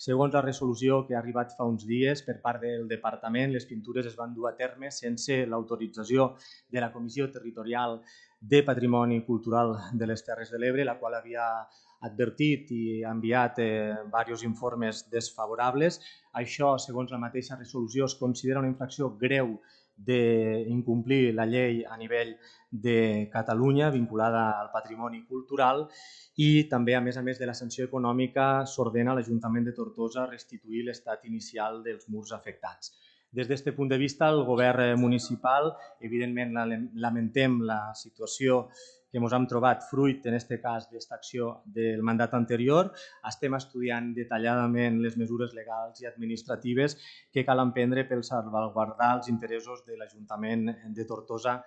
Segons la resolució que ha arribat fa uns dies per part del Departament, les pintures es van dur a terme sense l'autorització de la Comissió Territorial de Patrimoni Cultural de les Terres de l'Ebre, la qual havia advertit i enviat diversos informes desfavorables. Això, segons la mateixa resolució, es considera una infracció greu d'incomplir la llei a nivell de Catalunya vinculada al patrimoni cultural i també, a més de la sanció econòmica, s'ordena a l'Ajuntament de Tortosa restituir l'estat inicial dels murs afectats. Des d'aquest punt de vista, el govern municipal, evidentment, lamentem la situació que ens hem trobat fruit, en aquest cas, d'aquesta acció del mandat anterior. Estem estudiant detalladament les mesures legals i administratives que cal emprendre per salvaguardar els interessos de l'Ajuntament de Tortosa